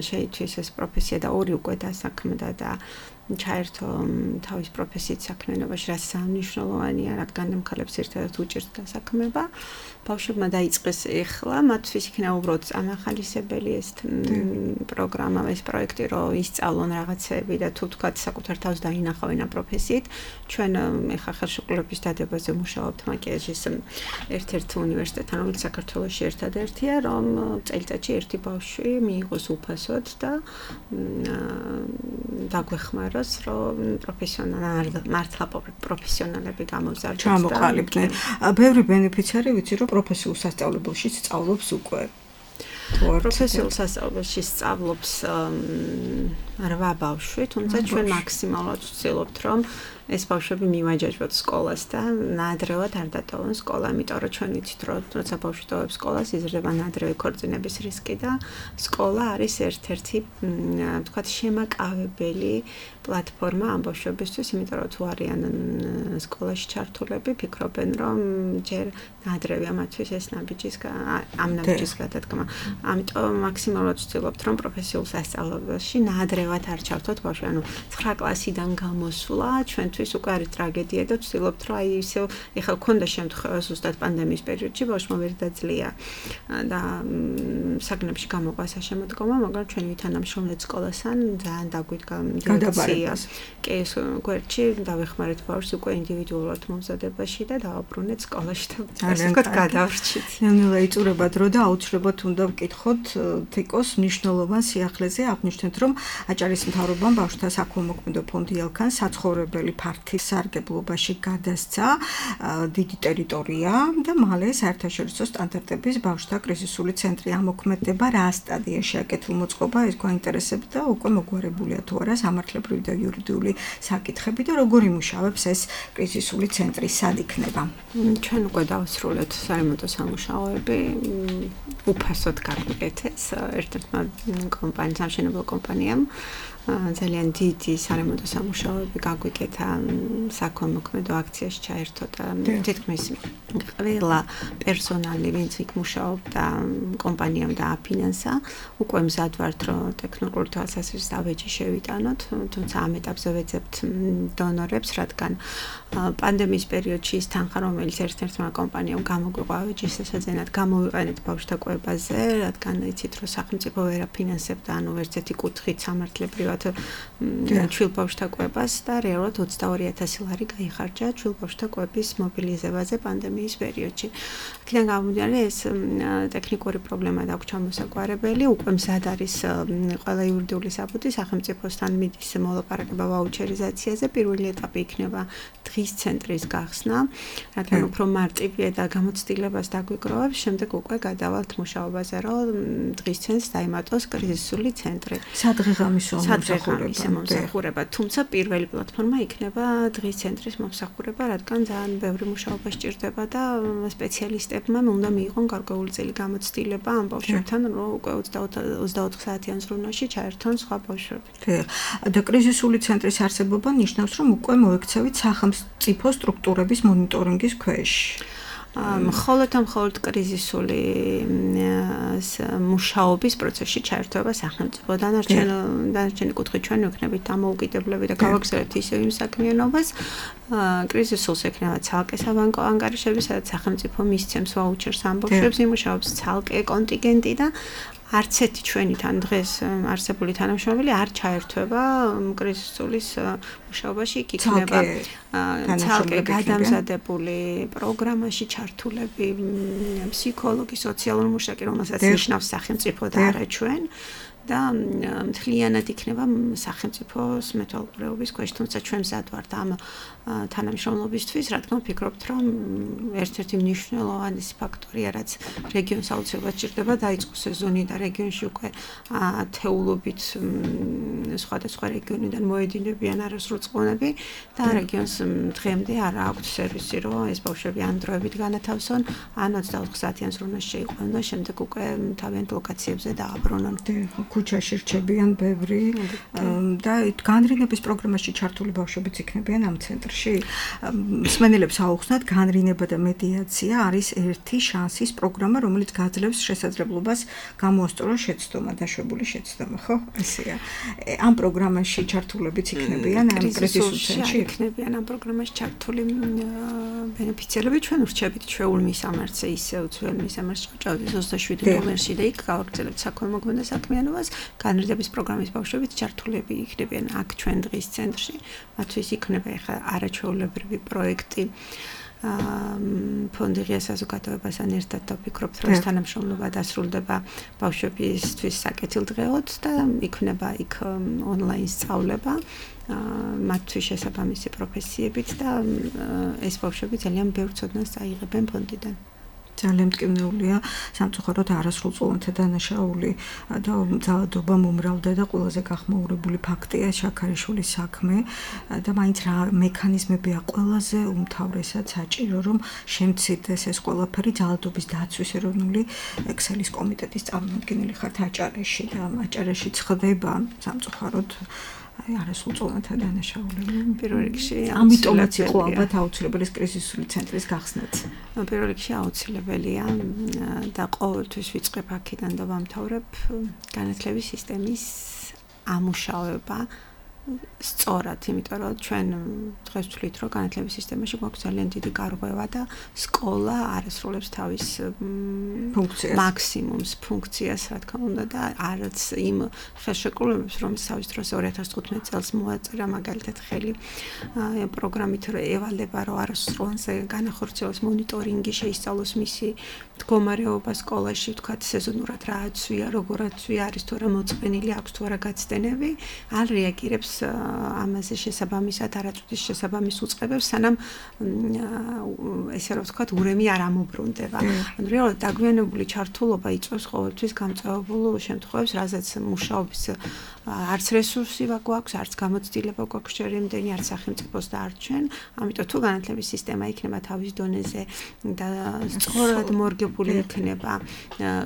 შეიცვალეს ეს პროფესია და ორი უკვე დასაქმდა და ჩაერთო თავის პროფესიით საქმიანობაში, რაც მნიშვნელოვანია, რადგან ქალებს ერთადად უჭირთ დასაქმება. ბავშვებმა დაიწყეს ეხლა, მათთვის იქნება უბრალოდ ამახალისებელი ეს პროგრამა, ეს პროექტი, რომ ისწავლონ რაღაცები და თუ თქვათ საკუთარ თავს დაინახავენ ამ პროფესიით. ჩვენ ეხლა ხელშეკრულების დადებაზე მუშაობთ მაკიაჟის ერთ-ერთ უნივერსიტეტთან, რომელიც საქართველოში ერთადერთია, რომ წელიწადში ერთი ბავშვი მიიღოს უფასოდ და დაგვეხმაროს, რომ პროფესიონალ მართლა პროფესიონალები გამოვზარდონ. ჩამოყალიბდნენ. ბევრი ბენეფიციარი ვიცი, რომ პროფესიულ სასწავლებელში სწავლობს უკვე. პროფესიულ სასწავლებელში სწავლობს რვა ბავშვი, თუმცა ჩვენ მაქსიმალურად ვცდილობთ, რომ ეს ბავშვები მივაჯაჭვოთ სკოლას და ნაადრევად არ დატოვონ სკოლა, იმიტომ რომ ჩვენ ვიცით, რომ როცა ბავშვი ტოვებს სკოლას, იზრდება ნაადრევი ქორწინების რისკი და სკოლა არის ერთ-ერთი, ვთქვათ, შემაკავებელი პლატფორმა ამ ბავშვებისთვის, იმიტომ რომ თუ არიან სკოლაში ჩართულები, ფიქრობენ, რომ ჯერ ნაადრევია მათთვის ეს ნაბიჯის ამ ნაბიჯის გადადგმა. ამიტომ მაქსიმალურად ვცდილობთ, რომ პროფესიულ სასწავლებელში ნაადრევად არ ჩავთოთ ბავშვი, ანუ ცხრა კლასიდან გამოსვლა ჩვენთვის უკვე არის ტრაგედია და ვცდილობთ, რომ აი ისე ეხლა გქონდა შემთხვევა ზუსტად პანდემიის პერიოდში ბავშვმა ვერ დაძლია და საგნებში გამოყვა საშემოდგომა, მაგრამ ჩვენი თანამშრომლეთ სკოლასთან ძალიან დაგვიდგა გადაბარება. კი, ეს გვერდში დავეხმარეთ ბავშვს უკვე ინდივიდუალურად მომზადებაში და დავაბრუნეთ სკოლაში და ასე ვთქვათ გადავრჩით. ნელ-ნელა იწურება დრო და აუცილებლად უნდა ვკითხოთ თიკოს მნიშვნელოვან სიახლეზე აღნიშნეთ, რომ აჭარის მთავრობამ ბავშვთა საქველმოქმედო ფონდი ელქან საცხოვრებელი ფართის სარგებლობაში გადასცა დიდი ტერიტორია და მალე საერთაშორისო სტანდარტების ბავშვთა კრიზისული ცენტრი ამოქმედება რა სტადიაშია კეთილმოწყობა ეს გვაინტერესებდა და უკვე მოგვარებულია თუ არა სამართლებრივი და იურიდიული საკითხები და როგორ იმუშავებს ეს კრიზისული ცენტრი სად იქნება? ჩვენ უკვე დავსრულეთ სარემონტო სამუშაოები, უფასოდ გაგვიკეთეს ერთ-ერთმა კომპანიამ, სამშენებლო კომპანიამ ძალიან დიდი სარემონტო სამუშაოები გაგვიკეთა საქველმოქმედო აქციაში ჩაერთო და თითქმის ყველა პერსონალი, ვინც იქ მუშაობდა, კომპანიამ დააფინანსა. უკვე მზად ვართ, რომ ტექნიკური თვალსაზრისით ავეჯი შევიტანოთ, თუმცა ამ ეტაპზე ვეძებთ დონორებს, რადგან პანდემიის პერიოდში ის თანხა, რომელიც ერთ-ერთმა კომპანიამ გამოგვიყვა ავეჯის შესაძენად, გამოვიყენეთ ბავშვთა კვებაზე, რადგან იცით, რომ სახელმწიფო ვერ აფინანსებდა, ანუ ერთ ერთი კუთხით სამართლებრივად ჩვილ ბავშვთა კვებას და რეალურად ოცდაორი ათასი ლარი გაიხარჯა ჩვილ ბავშვთა კვების მობილიზებაზე პანდემიის პერიოდში. აქედან გამომდინარე ეს ტექნიკური პრობლემა დაგვჭა ჩამოსაგვარებელი, უკვე მზად არის ყველა იურიდიული საბუთი სახელმწიფოსთან მიდის მოლაპარაკება ვაუჩერიზაციაზე, პირველი ეტაპი იქნება დღის ცენტრის გახსნა, რადგან უფრო მარტივია და გამოცდილებას დაგვიგროვებს, შემდეგ უკვე გადავალთ მუშაობაზე, რომ დღის ცენტრს დაემატოს კრიზისული ცენტრი. სადღეღამისო სადღეღამისო მომსახურება, თუმცა პირველი პლატფორმა იქნება დღის ცენტრის მომსახურება, რადგან ძალიან ბევრი მუშაობა სჭირდება და სპეციალისტებმა უნდა მიიღონ გარკვეული წელი გამოცდილება ამ ბავშვებთან, რომ უკვე ოცდაოთხ საათიან ზრუნვაში ჩაერთონ სხვა ბავშვები. და კრიზისული ცენტრის არსებობა ნიშნავს, რომ უკვე მოექცევით სახელმწიფო სტრუქტურების მონიტორინგის ქვეშ. მხოლოდ ამ მხოლოდ კრიზისული მუშაობის პროცესში ჩაერთვება სახელმწიფო. დანარჩენი კუთხით ჩვენ ვიქნებით დამოუკიდებლები და გავაგრძელებთ ისევ იმ საქმიანობას. კრიზისულს ექნება ცალკე საბანკო ანგარიშები, სადაც სახელმწიფო მისცემს ვაუჩერს ამ ბავშვებს, იმუშავებს ცალკე კონტინგენტი და არც ერთი ჩვენი თან დღეს არსებული თანამშრომელი არ ჩაერთვება კრიზისულის მუშაობაში, იქ იქნება ცალკე გადამზადებული პროგრამაში ჩართულები ფსიქოლოგი, სოციალური მუშაკი, რომელსაც ნიშნავს სახელმწიფო და არა ჩვენ. და მთლიანად იქნება სახელმწიფოს მეთვალყურეობის ქვეშ, თუმცა ჩვენ მზად ვართ ამ თანამშრომლობისთვის, რადგან ვფიქრობთ, რომ ერთ-ერთი მნიშვნელოვანი ფაქტორია, რაც რეგიონს აუცილებლად ჭირდება, დაიწყოს სეზონი და რეგიონში უკვე ათეულობით სხვადასხვა რეგიონიდან მოედინებიან არასრულწყლონები და რეგიონს დღემდე არ აქვს სერვისი, რომ ეს ბავშვები ან დროებით განათავსონ, ან ოცდაოთხ საათიან ზრუნვაში შეიყვანონ და შემდეგ უკვე თავიანთ ლოკაციებზე დააბრუნონ. ქუჩაში რჩებიან ბევრი და განრინების პროგრამაში ჩართული ბავშვებიც იქნებიან ამ ცენტრში. მსმენელებს აუხსნათ, განრინება და მედიაცია არის ერთი შანსის პროგრამა, რომელიც გაძლევს შესაძლებლობას გამოასწოროს შეცდომა, დაშვებული შეცდომა, ხო? ესეა. ამ პროგრამაში ჩართულებიც იქნებიან ამ კრიზისულ ცენტრში? იქნებიან ამ პროგრამაში ჩართული ბენეფიციარები, ჩვენ ვრჩებით ჩვეულ მისამართზე, ისევ ძველ მისამართში ჭავდით ოცდაშვიდი ნომერში და იქ გავაგრძელებთ საქველმოქმედო საქმიანობას. განრიდების პროგრამის ბავშვებიც ჩართულები იქნებიან აქ ჩვენ დღის ცენტრში. მათთვის იქნება ახლა არაჩვეულებრივი პროექტი ფონდი ღია საზოგადოებასთან ერთად და ვფიქრობთ, რომ ეს თანამშრომლობა დასრულდება ბავშვებისთვის საკეთილდღეოდ და იქნება იქ ონლაინ სწავლება მათთვის შესაბამისი პროფესიებით და ეს ბავშვები ძალიან ბევრ ცოდნას წაიღებენ ფონდიდან. ძალიან მტკივნეულია სამწუხაროდ არასრულწლოვანთა დანაშაული და ძალადობა მომრავლდა და ყველაზე გახმაურებული ფაქტია შაქარიშვილის საქმე და მაინც რა მექანიზმებია ყველაზე უმთავრესად საჭირო, რომ შემცირდეს ეს ყველაფერი. ძალადობის დაცვის ეროვნული ექსელის კომიტეტის წარმომადგენელი ხართ აჭარაში და აჭარაში ხდება სამწუხაროდ აი არასრულწლოვანთა დანაშაულები. პირველ რიგში ამიტომაც იყო ალბათ აუცილებელი კრიზისული ცენტრის გახსნაც. პირველ რიგში აუცილებელია და ყოველთვის ვიწყებ აქედან და ვამთავრებ განათლების სისტემის ამუშავება სწორად, იმიტომ რომ ჩვენ დღეს ვთვლით, რომ განათლების სისტემაში გვაქვს ძალიან დიდი გარღვევა და სკოლა არასრულებს თავის ფუნქციას, მაქსიმუმს ფუნქციას, რა თქმა უნდა და არც იმ ხელშეკრულებებს, რომელიც თავის დროს ორი ათას თხუთმეტ წელს მოაწერა, მაგალითად ხელი პროგრამით ევალება, რომ არასრულზე განახორციელოს მონიტორინგი, შეისწავლოს მისი მდგომარეობა სკოლაში, ვთქვათ, სეზონურად რა აცვია, როგორ აცვია, არის თუ არა მოწყენილი, აქვს თუ არა გაცდენები, არ რეაგირებს ამაზე შესაბამისად არაწუთის შესაბამის უწყებებს, სანამ ესე რომ ვთქვათ, ურემი არ ამობრუნდება. ანუ რეალურად დაგვიანებული ჩართულობა იწვევს ყოველთვის გამწვავებულ შემთხვევებს, რაზეც მუშაობის არც რესურსი გვაქვს, არც გამოცდილება გვაქვს შერიმდენი, არც სახელმწიფოს და არც ჩვენ. ამიტომ თუ განათლების სისტემა იქნება თავის დონეზე და სწორად მორგებული იქნება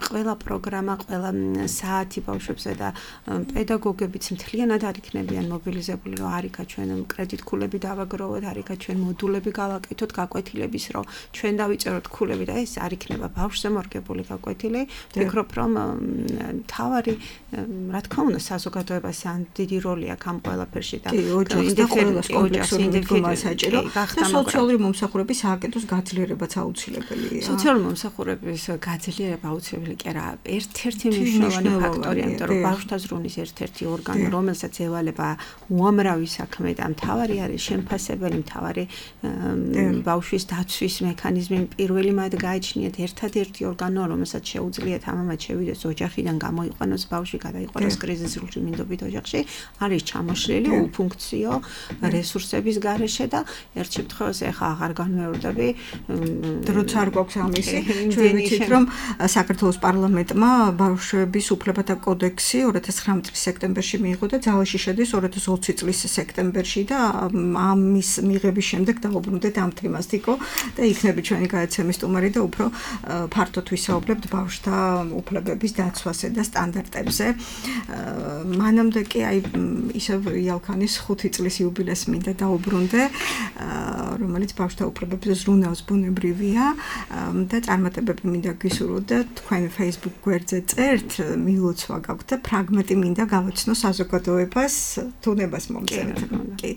ყველა პროგრამა, ყველა საათი ბავშვებზე და პედაგოგებიც მთლიანად არ იქნებიან მობილიზებული, რომ არიქა ჩვენ კრედიტ ქულები დავაგროვოთ, არიქა ჩვენ მოდულები გავაკეთოთ გაკვეთილების, რომ ჩვენ დავიწეროთ ქულები და ეს არ იქნება ბავშვზე მორგებული გაკვეთილი. ვფიქრობ, რომ თავარი, რა თქმა უნდა, საზოგადოებას ან დიდი როლი აქვს ამ ყველაფერში და ოჯახის და ყველას კომპლექსური მიდგომა საჭირო და სოციალური მომსახურების სააკეთოს გაძლიერებაც აუცილებელია. სოციალური მომსახურების გაძლიერება აუცილებელი კი არა, ერთ-ერთი მნიშვნელოვანი ფაქტორია, იმიტომ რომ ბავშვთა ზრუნვის ერთ-ერთი ორგანო, რომელსაც ევალება უამრავი საქმე და მთავარი არის შემფასებელი, მთავარი ბავშვის დაცვის მექანიზმი პირველი მათ გააჩნიათ ერთადერთი ორგანო, რომელსაც შეუძლიათ ამამაც შევიდეს ოჯახიდან გამოიყვანოს ბავშვი, გადაიყვანოს კრიზისულ მინდობით ოჯახში, არის ჩამოშლილი უფუნქციო რესურსების გარეშე და ერთ შემთხვევაში ახლა აღარ განმეორდები, როცა არ გვაქვს ამისი, ჩვენ ვიცით, რომ საქართველოს პარლამენტმა ბავშვების უფლებათა კოდექსი ორი ათას ცხრამეტ წლის სექტემბერში მიიღო და ძალაში შედის ორი ათას ოცი წლის სექტემბერში და ამის მიღების შემდეგ დაუბრუნდეთ ამ თემას თიკო და იქნები ჩვენი გადაცემის სტუმარი და უფრო ფართოდ ვისაუბრებთ ბავშვთა უფლებების დაცვაზე და სტანდარტებზე. მანამდე კი აი ისევ იალქანის ხუთი წლის იუბილეს მინდა დაუბრუნდე, რომელიც ბავშვთა უფლებებზე ზრუნავს ბუნებრივია და წარმატებები მინდა გისურვოთ და თქვენ Facebook გვერდზე წერთ, მილოცვა გაქვთ და ფრაგმენტი მინდა გავაცნო საზოგადოებას, თუნებას მომწერთ. კი,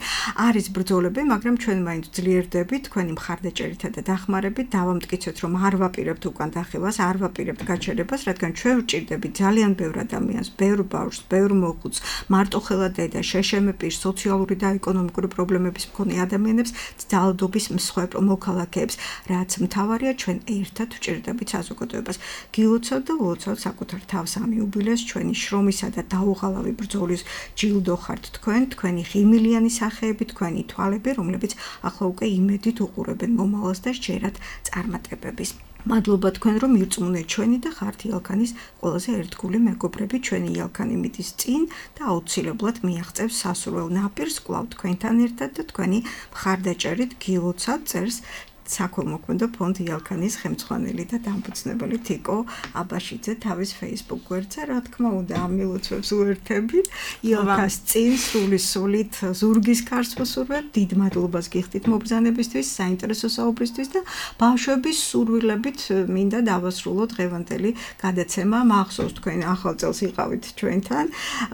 არის ბრძოლები, მაგრამ ჩვენ მაინც ძლიერდებით, თქვენი მხარდაჭერითა და დახმარებით დავამტკიცოთ, რომ არ ვაპირებთ უკან დახევას, არ ვაპირებთ გაჩერებას, რადგან ჩვენ ვჭირდებით ძალიან ბევრ ადამიანს, ბევრ ბავშვს, ბევრ მოხუცს, მარტოხელა დედა, შეშემე პირს, სოციალური და ეკონომიკური პრობლემების მქონე ადამიანებს, ძალადობის მსხვერპ მოქალაქეებს, რაც მთავარია, ჩვენ ერთად ვჭირდებით საზოგადოებას. გილოცავთ და ულოცავთ საკუთარ თავს ამ იუბილეს, ჩვენი შრომისა და დაუღალავი ბრძოლის ჯილდო ხართ თქვენ, თქვენი ღიმილიანი სახეები, თქვენი თვალები, რომლებიც ახლა უკვე იმედით უყურებენ მომავალს და სჯერათ წარმატებების. მადლობა თქვენ, რომ მირწმუნეთ ჩვენი და ხართ იალქანის ყველაზე ერთგული მეგობრები, ჩვენი იალქანი მიდის წინ და აუცილებლად მიაღწევს სასურველ ნაპირს კვლავ თქვენთან ერთად და თქვენი მხარდაჭერით გილოცავთ წერს საქველმოქმედო ფონდ იალქანის ხელმძღვანელი და დამფუძნებელი თიკო აბაშიძე თავის Facebook გვერდზე, რა თქმა უნდა, ამ მილოცვებს უერთებით. იალქას წინ სული სულით ზურგის ქარს ვუსურვებ, დიდ მადლობას გიხდით მობრძანებისთვის, საინტერესო საუბრისთვის და ბავშვების სურვილებით მინდა დავასრულოთ დღევანდელი გადაცემა. მახსოვს თქვენ ახალ წელს იყავით ჩვენთან,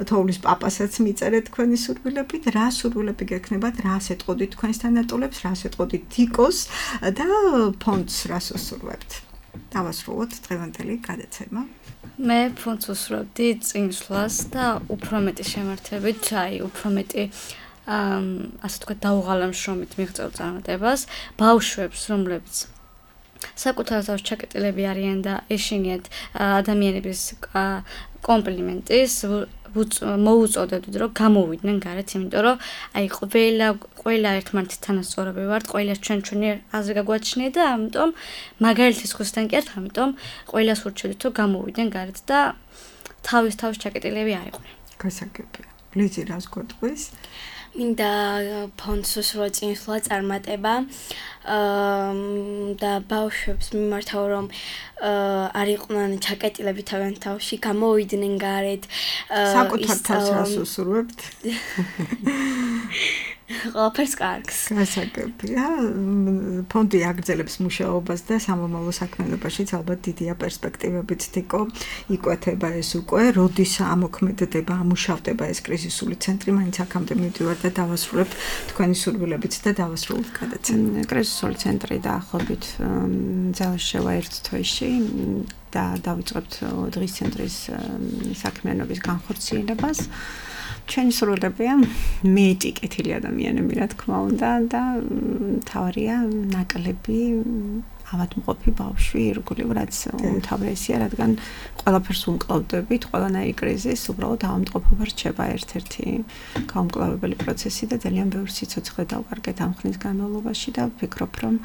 თოვლის პაპასაც მიწერეთ თქვენი სურვილებით, რა სურვილები გექნებათ, რას ეტყოდით თქვენს თანატოლებს, რას ეტყოდით თიკოს და ფონდს რას უსურვებთ. დავასრულოთ დღევანდელი გადაცემა. მე ფონდს უსურვებდი წინსვლას და უფრო მეტი შემართებით, აი, უფრო მეტი ასე თქვა დაუღალავ შრომით მიღწეულ წარმატებას ბავშვებს, რომლებიც საკუთარ თავს ჩაკეტილები არიან და ეშინიათ ადამიანების კომპლიმენტის მოუწოდეთ, რომ გამოვიდნენ გარეთ, იმიტომ რომ აი ყველა ყველა ერთმანეთის თანასწორები ვართ, ყველას ჩვენ ჩვენი აზრი გაგვაჩნია და ამიტომ მაგალითის ხვისთან კი ერთ, ამიტომ ყველას ურჩევთ, რომ გამოვიდნენ გარეთ და თავის თავს ჩაკეტილები არ იყვნენ. გასაგებია. ლიზი რას გვეტყვის? მინდა ფონდს უსურვა წინსვლა წარმატება და ბავშვებს მიმართავ, რომ არ იყვნენ ჩაკეტილები თავიანთ თავში, გამოვიდნენ გარეთ. საკუთარ თავს რას უსურვებთ? ყველაფერს კარგს. გასაგებია. ფონდი აგრძელებს მუშაობას და სამომავლო საქმიანობაშიც ალბათ დიდია პერსპექტივებით თიკო იკვეთება ეს უკვე, როდის ამოქმედდება, ამუშავდება ეს კრიზისული ცენტრი, მაინც აქამდე მივდივარ და დავასრულებ თქვენი სურვილებით და დავასრულებ გადაცემა. კრიზისული ცენტრი დაახლოებით ძალას შევა ერთ თვეში და დავიწყებთ დღის ცენტრის საქმიანობის განხორციელებას. ჩვენი სურვილებია მეტი კეთილი ადამიანები, რა თქმა უნდა, და თავარია ნაკლები ავადმყოფი ბავშვი, ირგვლივ, რაც უმთავრესია, რადგან ყველაფერს უმკლავდებით, ყველანაირი კრიზისი უბრალოდ ავადმყოფობა რჩება ერთ-ერთი გაუმკლავებელი პროცესი და ძალიან ბევრი სიცოცხლე დავკარგეთ ამ ხნის განმავლობაში და ვფიქრობ, რომ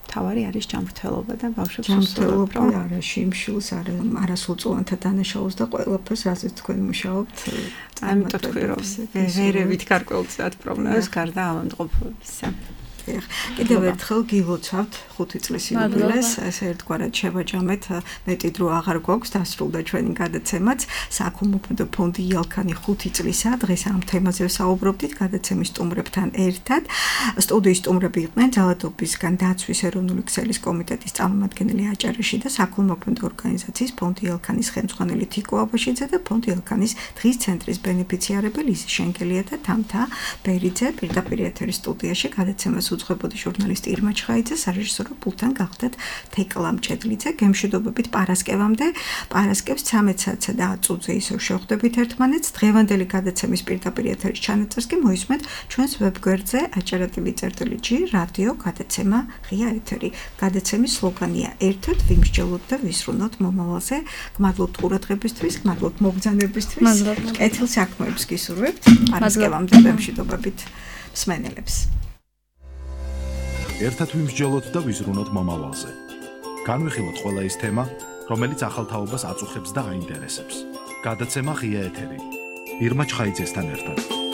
თავარი არის ჯანმრთელობა და ბავშვებს ჯანმრთელობა არა შიმშილს, არა არასრულწლოვანთა დანაშაულს და ყველაფერს, რაზეც თქვენ მუშაობთ. ამიტომ თქვი რომ ვერევით გარკვეულწილად პრობლემას გარდა ავადმყოფობისა. კიდევ ერთხელ გილოცავთ ხუთი წლის იუბილეს, ესე ერთგვარად შევაჯამეთ, მეტი დრო აღარ გვაქვს, დასრულდა ჩვენი გადაცემაც. საქველმოქმედო ფონდი იალქანი ხუთი წლისა, დღეს ამ თემაზე ვსაუბრობდით გადაცემის სტუმრებთან ერთად. სტუდიის სტუმრები იყვნენ ძალადობისგან დაცვის ეროვნული ქსელის კომიტეტის წარმომადგენელი აჭარაში და საქველმოქმედო ორგანიზაციის ფონდი იალქანის ხელმძღვანელი თიკო აბაშიძე და ფონდი იალქანის დღის ცენტრის ბენეფიციარები ლიზი შენგელია და თამთა ბერიძე. პირდაპირ ეთერის სტუდიაში გადაცემას უძღვებოდი ჟურნალისტი ირმა ჩხაიძე, სარეჟისორო პულტთან გახდათ თეკლა მჭედლიძე. გემშვიდობებით პარასკევამდე. პარასკევს ცამეტ საათსა და ათ წუთზე ისევ შევხვდებით ერთმანეთს. დღევანდელი გადაცემის პირდაპირ ეთერის ჩანაწერს კი მოისმენთ ჩვენს ვებგვერდზე აჭარა ტივი წერტილი ჯი რადიო გადაცემა ღია ეთერი. გადაცემის სლოგანია ერთად ვიმსჯელოთ და ვისრუნოთ მომავალზე. გმადლობთ ყურადღებისთვის, გმადლობთ მოგზანებისთვის. კეთილ საქმეებს გისურვებთ. პარასკევამდე გემშვიდობებით მსმენელებს. ერთად ვიმსჯელოთ და ვიზრუნოთ მომავალზე. განვიხილოთ ყველა ის თემა, რომელიც ახალ თაობას აწუხებს და აინტერესებს. გადაცემა ღია ეთერი. ირმა ჩხაიძესთან ერთად.